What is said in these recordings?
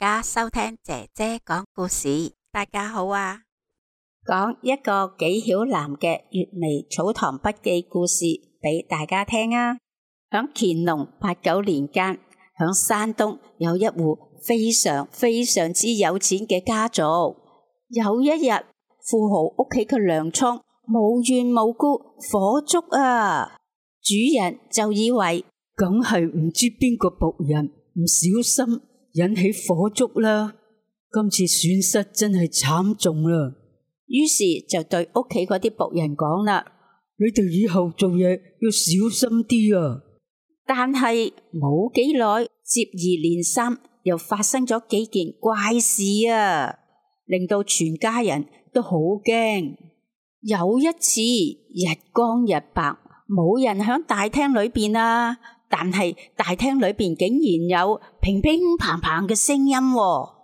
家收聽姐姐講故事。大家好啊！講一個紀曉嵐嘅閱微草堂筆記故事俾大家聽啊！響乾隆89年間，響山東有一戶非常之有錢嘅家族。有一日，富豪屋企嘅糧倉無緣無故火燭啊！主人就以為梗係唔知邊個僕人唔小心引起火燭啦，今次損失真係慘重啦。於是就對屋企嗰啲僕人講啦：你哋以後做嘢要小心啲啊！但係冇幾耐，接二連三又發生咗幾件怪事啊，令到全家人都好驚。有一次日光日白，冇人響大廳裏邊啊，但係大廳裏邊竟然有乒乒乓乓嘅聲音喎。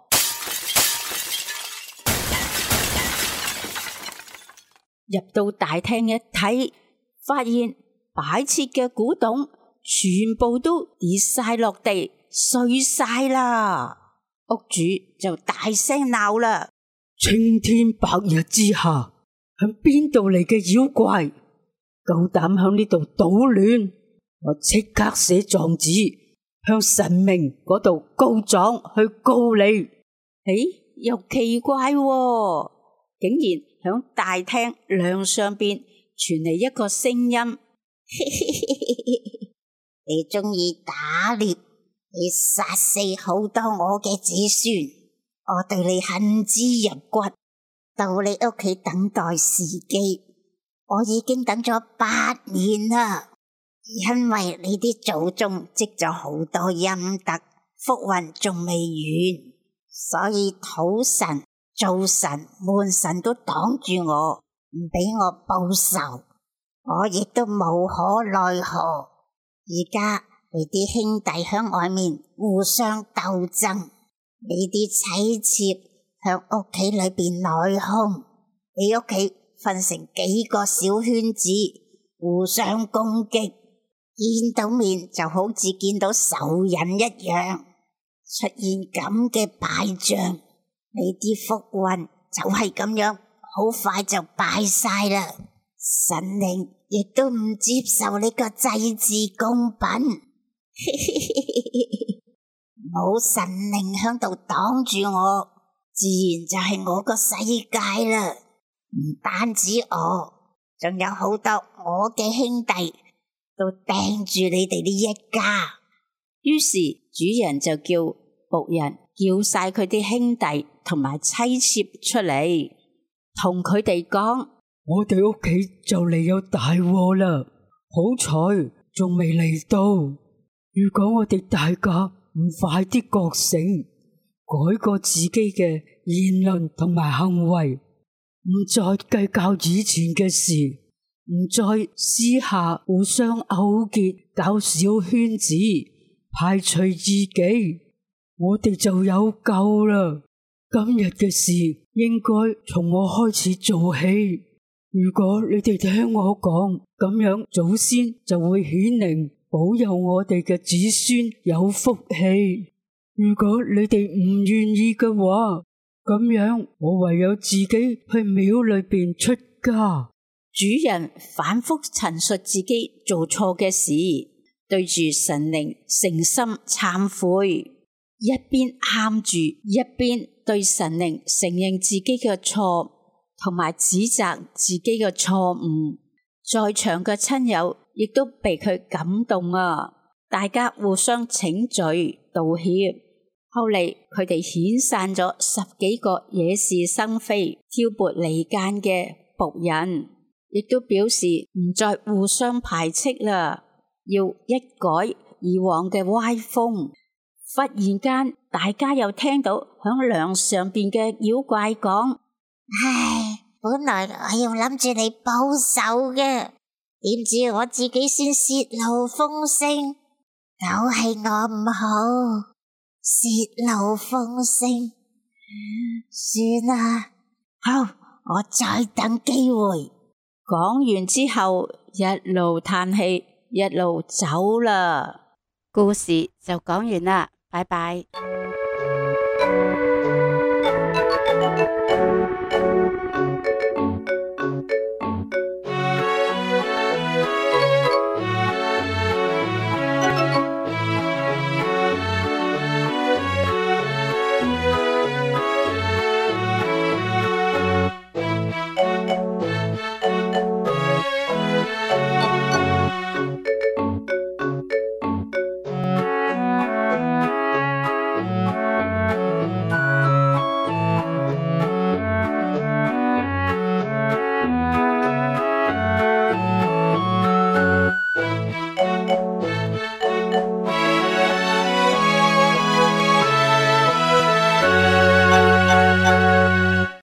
入到大廳一睇，發現擺設嘅古董全部都跌晒落地，碎晒啦。屋主就大聲鬧啦：青天白日之下，響邊度嚟嘅妖怪，夠膽響呢度搗亂，我即刻寫狀紙向神明嗰度告狀去告你。又奇怪喎，竟然響大廳梁上邊傳嚟一個聲音：你中意打獵，你殺死好多我嘅子孫，我對你恨之入骨，到你屋企等待時機，我已經等咗8年啦。因為你啲祖宗積咗好多陰德，福運仲未完，所以土神、灶神、門神都擋住我，唔俾我報仇，我亦都無可奈何。而家你啲兄弟響外面互相鬥爭，你啲妻妾響屋企裏邊內訌，你屋企分成幾個小圈子，互相攻擊，見到面就好似見到仇人一樣。出現咁嘅敗象，你啲福運就係咁樣，好快就敗晒啦。神靈亦都唔接受你個祭祀供品，冇神靈響度擋住我，自然就係我個世界啦。唔單止我，仲有好多我嘅兄弟都盯住你哋呢一家。於是主人就叫僕人叫晒佢啲兄弟同埋妻妾出嚟，同佢哋講：我哋屋企就嚟有大禍啦，好彩仲未嚟到。如果我哋大家唔快啲覺醒，改過自己嘅言論同埋行為，唔再計較以前嘅事，唔再私下互相勾結搞小圈子，排除異己，我哋就有救啦。今日嘅事應該從我開始做起。如果你哋聽我講，咁樣祖先就會顯靈，保佑我哋嘅子孫有福氣。如果你哋唔願意嘅話，咁樣我唯有自己去廟裏邊出家。主人反覆陳述自己做錯嘅事，對住神靈誠心懺悔，一邊喊住，一邊對神靈承認自己嘅錯，同埋指責自己嘅錯誤。在場嘅親友亦都被佢感動啊！大家互相請罪道歉。後嚟佢哋遣散咗10幾個惹是生非、挑撥離間嘅僕人，亦都表示唔再互相排斥啦，要一改以往嘅歪風。忽然間，大家又聽到響梁上邊嘅妖怪講：唉，本來我要諗住你報仇嘅，點知我自己先泄露風聲，都係我唔好，泄露風聲。算啦，好，我再等機會。講完之後，一路嘆氣，一路走啦。故事就講完啦，拜拜。